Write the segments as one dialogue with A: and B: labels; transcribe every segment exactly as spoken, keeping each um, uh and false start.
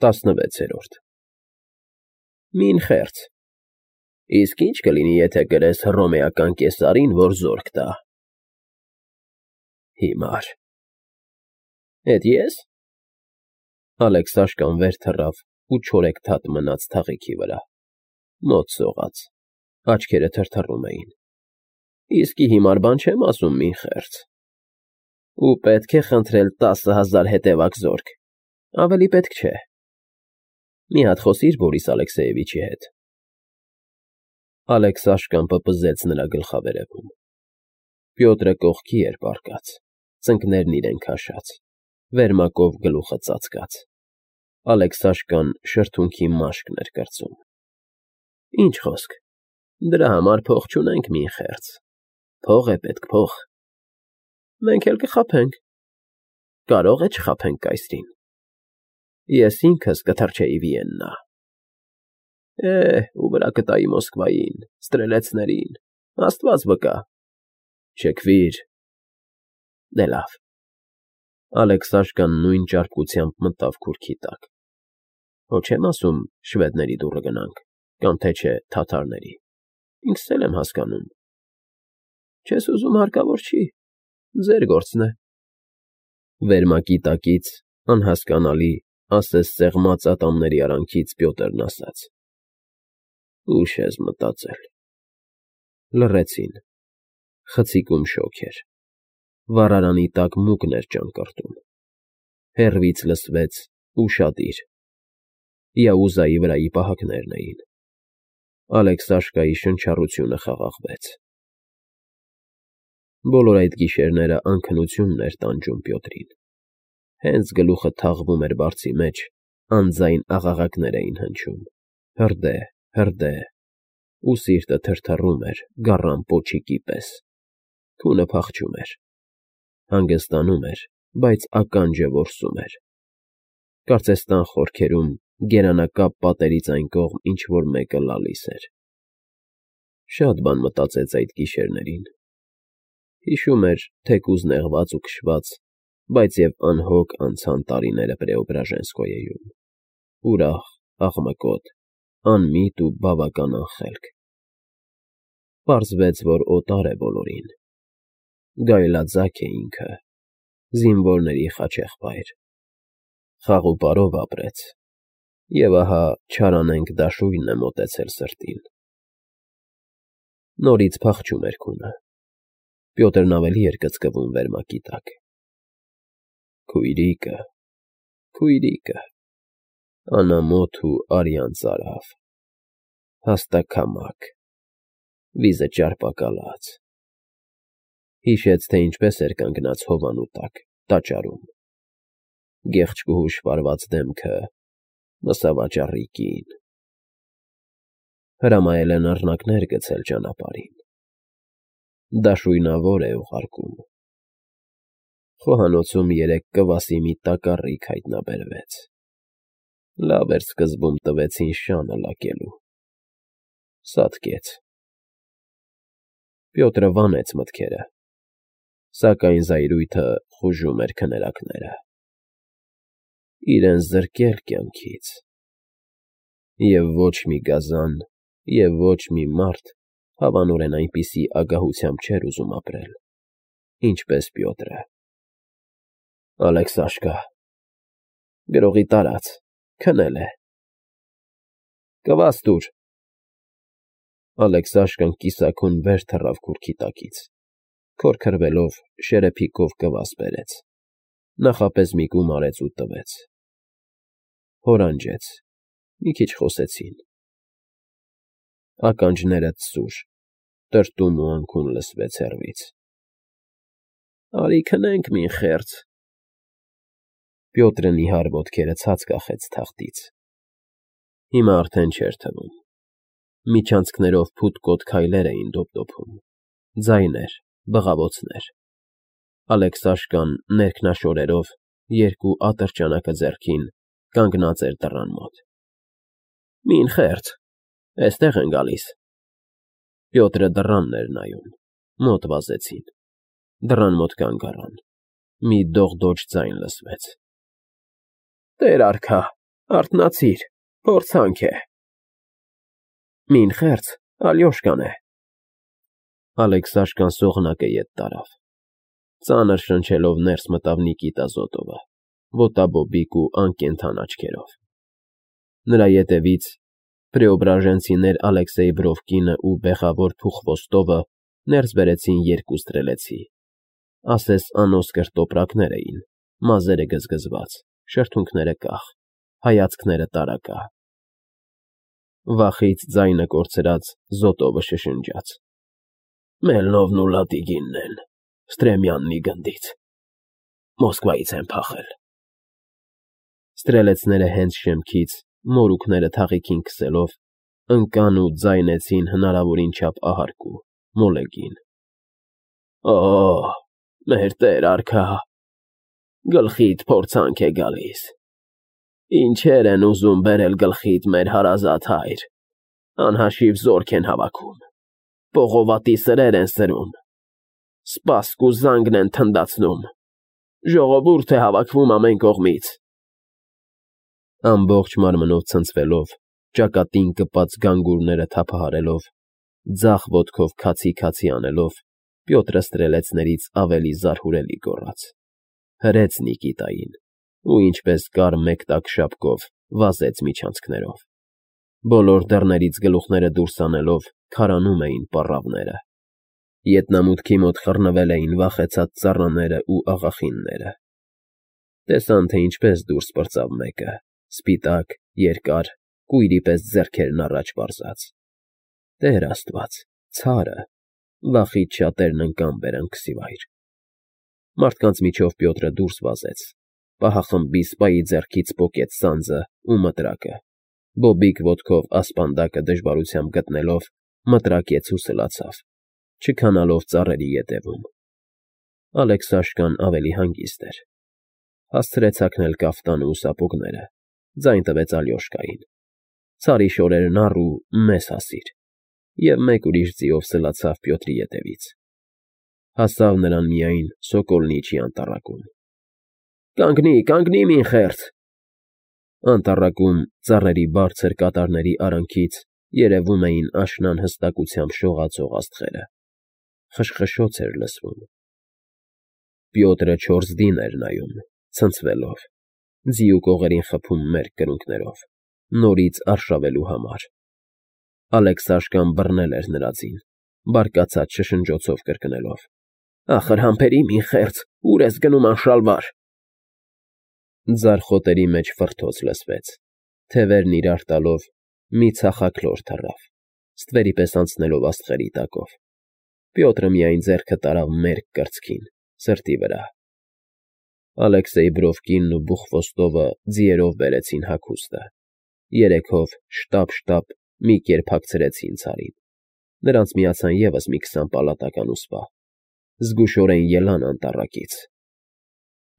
A: տասնվեցերորդ Մին խեղճ Իսկ ի՞նչ կլինի, եթե կրես հռոմեական կեսարին, որ զորք տա։ Հիմար Էդ ես։ Ալեքսաշկան վեր թռավ ու չորեքթաթ մնաց թաղիքի վրա, մոտ սողաց, աչքերը թրթռում էին։ Իսկի հիմար բան չեմ ասում, մին խեղճ։ Ու պետք է խնդրել տասը հազար հետևակ զորք, ավելի պետք չէ։ Մի հատ խոսիր Բորիս Ալեքսեևիչի հետ։ Ալեքսաշկան պպզեց նրա գլխավերևում։ Պյոտրը կողքի էր պառկած, ծնկներն իրեն քաշած, վերմակով գլուխը ծածկած։ Ալեքսաշկան շրթունքի մաշկն էր կրծում։ Ինչ խոսք, դրա համար փող չունենք, մին խեղճ, փող է պետք, փող։ Մենք էլ կխաբենք։ Կարող է չխաբենք կայսրին։ Ես ինքս կթռչեի Վիեննա։ Է, ու վրա կտայի Մոսկվային, ստրելեցներին, Աստված վկա։ Շքվիր։ Դե լավ։ Ալեքսաշկան նույն ճարպկությամբ մտավ քուրքի տակ։ Հո չեմ ասում շվեդների դուռը գնանք, կամ թե չէ թաթարների, ինքս էլ եմ հասկանում։ Չես ուզում, հարկավոր չի, ձեր գործն է։ Վերմակի տակից, անհասկանալի, ասես սեղմած ատամների արանքից Պյոտրն ասաց. Ուշ ես մտածել։ Լռեցին, խցիկում շոգ էր, վառարանի տակ մուկն էր ճանկռտում, հեռվից լսվեց ուշադիր, Յաուզայի վրայի պահակներն էին։ Ալեքսաշկայի շնչառությունը խաղաղվեց։ Բոլոր այդ գիշերները անքնությունն էր տանջում Պյոտրին։ Հենց գլուխը թաղվում էր բարձի մեջ, անձայն աղաղակներ էին հնչում, հրդե, հրդե, ու սիրտը թրթռում էր գառան պոչիկի պես, քունը փախչում էր, հանգստանում էր, բայց ականջը որսում էր։ Կարծես տան խորքերում, գերանակապ պատերից այն կողմ ինչ֊որ մեկը լալիս էր։ Շատ բան մտածեց այդ գիշերներին։ Հիշում էր թեկուզ նեղված ու քշված, բայց և անհոգ անցան տարիները Պրեոբրաժենսկոյեում, ուրախ, աղմկոտ, անմիտ ու բավական անխելք։ Պարզվեց, որ օտար է բոլորին։ Գայլաձակ է ինքը, զինվորների խաչեղբայր։ Խաղուպարով ապրեց, և ահա չարանենգ դաշույնն է մոտեցել սրտին։ Նորից փախչում էր քունը։ Պյոտրն ավելի էր կծկվում վերմակի տակ։ Քույրիկը, քույրիկը, անամոթ ու արյան ծարավ, հաստաքամակ, վիզը ճարպակալած։ Հիշեց, թե ինչպես էր կանգնած հովանու տակ, տաճարում, գեղեցկուհու շպարված դեմքը, մսավաճառի կին։ Հրամայել են առնակներ գցել ճանապարհին։ Դաշույնավոր է ուղարկում։ Խոհանոցում երեկ կվասի մի տակառիկ հայտնաբերվեց։ Լավ էր սկզբում տվեցին շանը լակելու։ Սատկեց։ Պյոտրը վանեց մտքերը, սակայն զայրույթը խուժում էր քներակները։ Իրեն զրկել կյանքից։ Եվ ոչ մի գազան, և ոչ մի մարդ հավանորեն այնպիսի ագահությամբ չէր ուզում ապրել, ինչպես Պյոտրը։ Ալեքսաշկա, գրողի տարած, քնել է։ Կվաս տուր։ Ալեքսաշկան կիսաքուն վեր թռավ քուրքի տակից, քորքրվելով շերեփիկով կվաս բերեց, նախապես մի կում արեց ու տվեց։ Հորանջեց, մի քիչ խոսեցին։ Ականջներդ սուր, տրտում ու անքուն լսվեց հեռվից։ Արի քնենք, մին խեղճ։ Պյոտրը նիհար ոտքերը ցած կախեց թախտից։ Հիմա արդեն չէր թվում։ Միջանցքներով փութկոտ քայլեր էին դոփդոփում, ձայներ, բղավոցներ։ Ալեքսաշկան ներքնաշորերով, երկու ատրճանակը ձեռքին, կանգնած էր դռան մոտ։ Մին խեղճ, էստեղ են գալիս։ Պյոտրը դռանն էր նայում, մոտ վազեցին, դռան մոտ կանգ առան, մի դողդոջ ձայն լսվեց։ Տեր արքա, Արթնացիր, փորձանք է։ Մին խերց, Ալյոշկան է։ Ալեքսաշկան սողնակը ետ տարավ։ Ծանր շնչելով ներս մտավ Նիկիտա Զոտովը, ոտաբոբիկ ու անկենդան աչքերով։ Նրա ետևից պրեոբրաժենցիներ Ալեքսեյ Բրովկինը ու բեղավոր Փուխվոստովը ներս բերեցին երկու ստրելեցի, ասես անոսկր տոպրակներ էին, մազերը գզգզված, շրթունքները կախ, հայացքները տարակա։ Վախից ձայնը կորցրած Զոտովը շշնջաց. Մելնովն ու Լատիգինն են, Ստրեմյաննի գնդից, Մոսկվայից են փախել։ Ստրելեցները հենց շեմքից, մորուքները թաղիքին քսելով, ընկան ու ձայնեցին հնարավորին չափ ահարկու, մոլեգին. Օ, մեր տեր արքա, գլխիդ փորձանք է գալիս, ինչեր են ուզում բերել գլխիդ մեր հարազատ հայր, անհաշիվ զորք են հավաքում, պողովատի սրեր են սրում, սպասք ու զանգն են թնդացնում, ժողովուրդ է հավաքվում ամեն կողմից։ Ամբողջ մարմնով ցնցվելով, ճակատին կպած գանգուրները թափահարելով, ձախ ոտքով քացի-քացի անելով, Պյոտրը ստրելեցներից ավելի զարհուրելի գոռաց. հրեց Նիկիտային ու ինչպես կար մեկ տակ շապկով վազեց միջանցքներով։ Բոլոր դռներից գլուխները դուրս անելով քարանում էին պառավները։ Ետնամուտքի մոտ խռնվել էին վախեցած ծառաները ու աղախինները։ Տեսան, թե ինչպես դուրս պրծավ մեկը, սպիտակ, երկար, կույրի պես ձեռքերն առաջ պարզած։ Տեր Աստված, ցարը, վախից շատերն ընկան բերանքսիվայր։ Մարդկանց միջով Պյոտրը դուրս վազեց, պահախմբի սպայի ձեռքից պոկեց սանձը ու մտրակը, բոբիկ ոտքով ասպանդակը դժվարությամբ գտնելով, մտրակեց ու սլացավ, չքանալով ծառերի ետևում։ Ալեքսաշկան ավելի հանգիստ էր։ Հասցրեց հագնել կաֆտանը ու սապոգները, ձայն տվեց Ալյոշկային. Ցարի շորերն առ ու մեզ հասիր, և մեկ ուրիշ ձիով սլացավ Պյոտրի ետևից։ Հասավ նրան միայն Սոկոլնիչի անտառակում։ Կանգնի, կանգնի, մին խերց։ Անտառակում ծառերի բարձր կատարների արանքից երևում էին աշնան հստակությամբ շողացող աստղերը։ Խշխշոց էր լսվում։ Պյոտրը չորս դին էր նայում, ցնցվելով, ձիու կողերին խփում մերկ կրունկներով, նորից արշավելու համար։ Ալեքսաշկան բռնել էր նրա ձին, բարկացած շշնջոցով կրկնելով. Ախր համբերի, մին խերց, ուր ես գնում անշալվար։ Ձարխոտերի մեջ ֆռթոց լսվեց, թևերն իրար տալով մի ցախաքլոր թռավ, ստվերի պես անցնելով աստղերի տակով։ Պյոտրը միայն ձեռքը տարավ մերկ կրծքին, սրտի վրա։ Ալեքսեյ Բրովկինն ու Բուխվոստովը ձիերով բերեցին հագուստը, երեքով շտապ֊շտապ մի կերպ հագցրեցին ցարին։ Նրանց միացան ևս մի քսան պալատական ու սպա։ Զգուշորեն ելան անտառակից։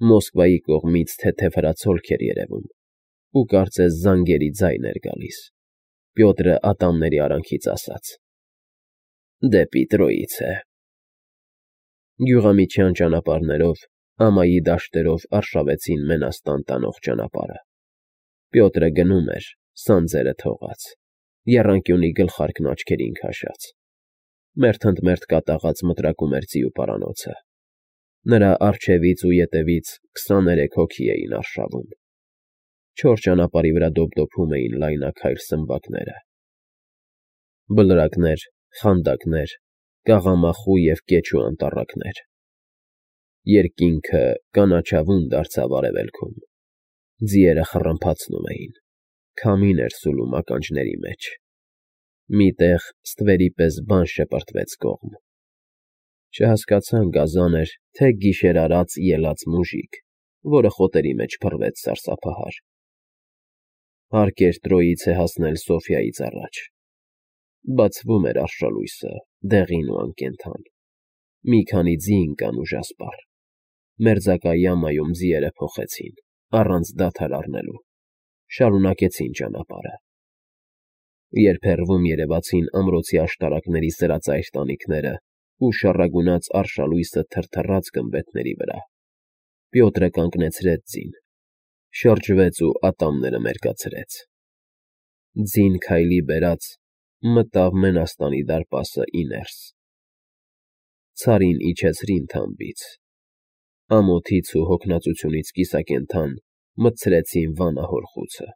A: Մոսկվայի կողմից թեթև հրացոլք էր երևում, ու կարծես զանգերի ձայն էր գալիս։ Պյոտրը ատամների արանքից ասաց. Դեպի Տրոիցե։ Գյուղամիջյան ճանապարհներով, ամայի դաշտերով արշավեցին Մենաստան տանող ճանապարհը։ Պյոտրը գնում էր, սանձերը թողած, եռանկյունի գլխարկն աչքերին քաշած։ Մերթընդմերթ կատաղած մտրակում էր ձիու պարանոցը։ Նրա առջևից ու ետևից քսաներեք հոգի էին արշավում։ Չոր ճանապարհի վրա դոփդոփում էին լայնաքայլ սմբակները։ Բլրակներ, խանդակներ, կաղամախու և կեչու անտառակներ։ Երկինքը կանաչավուն դարձավ արևելքում։ Ձիերը խռմփացնում էին, քամին էր սուլում ականջների մեջ։ Մի տեղ ստվերի պես բան շպրտվեց կողմ։ Չհասկացան գազան էր, թե գիշերարած ելած մուժիկ, որը խոտերի մեջ փռվեց սարսափահար։ Հարկ էր Տրոիցե հասնել Սոֆիայից առաջ։ Բացվում էր արշալույսը, դեղին ու անկենդան։ Մի քանի ձի ընկան ուժասպառ։ Մերձակա յամայում ձիերը փոխեցին, առանց դադար առնելու, շարունակեցին ճանապարհը։ Երբ հեռվում երևացին ամրոցի աշտարակների սրածայր տանիքները ու շառագունած արշալույսը թրթռաց գմբեթների վրա, Պյոտրը կանգնեցրեց ձին, շրջվեց ու ատամները մերկացրեց։ Ձին քայլի բերած մտավ Մենաստանի դարպասը ի ներս։ Ցարին իջեցրին թամբից, ամոթից ու հոգնածությունից կիսակենդան մտցրեցին վանահոր խուցը։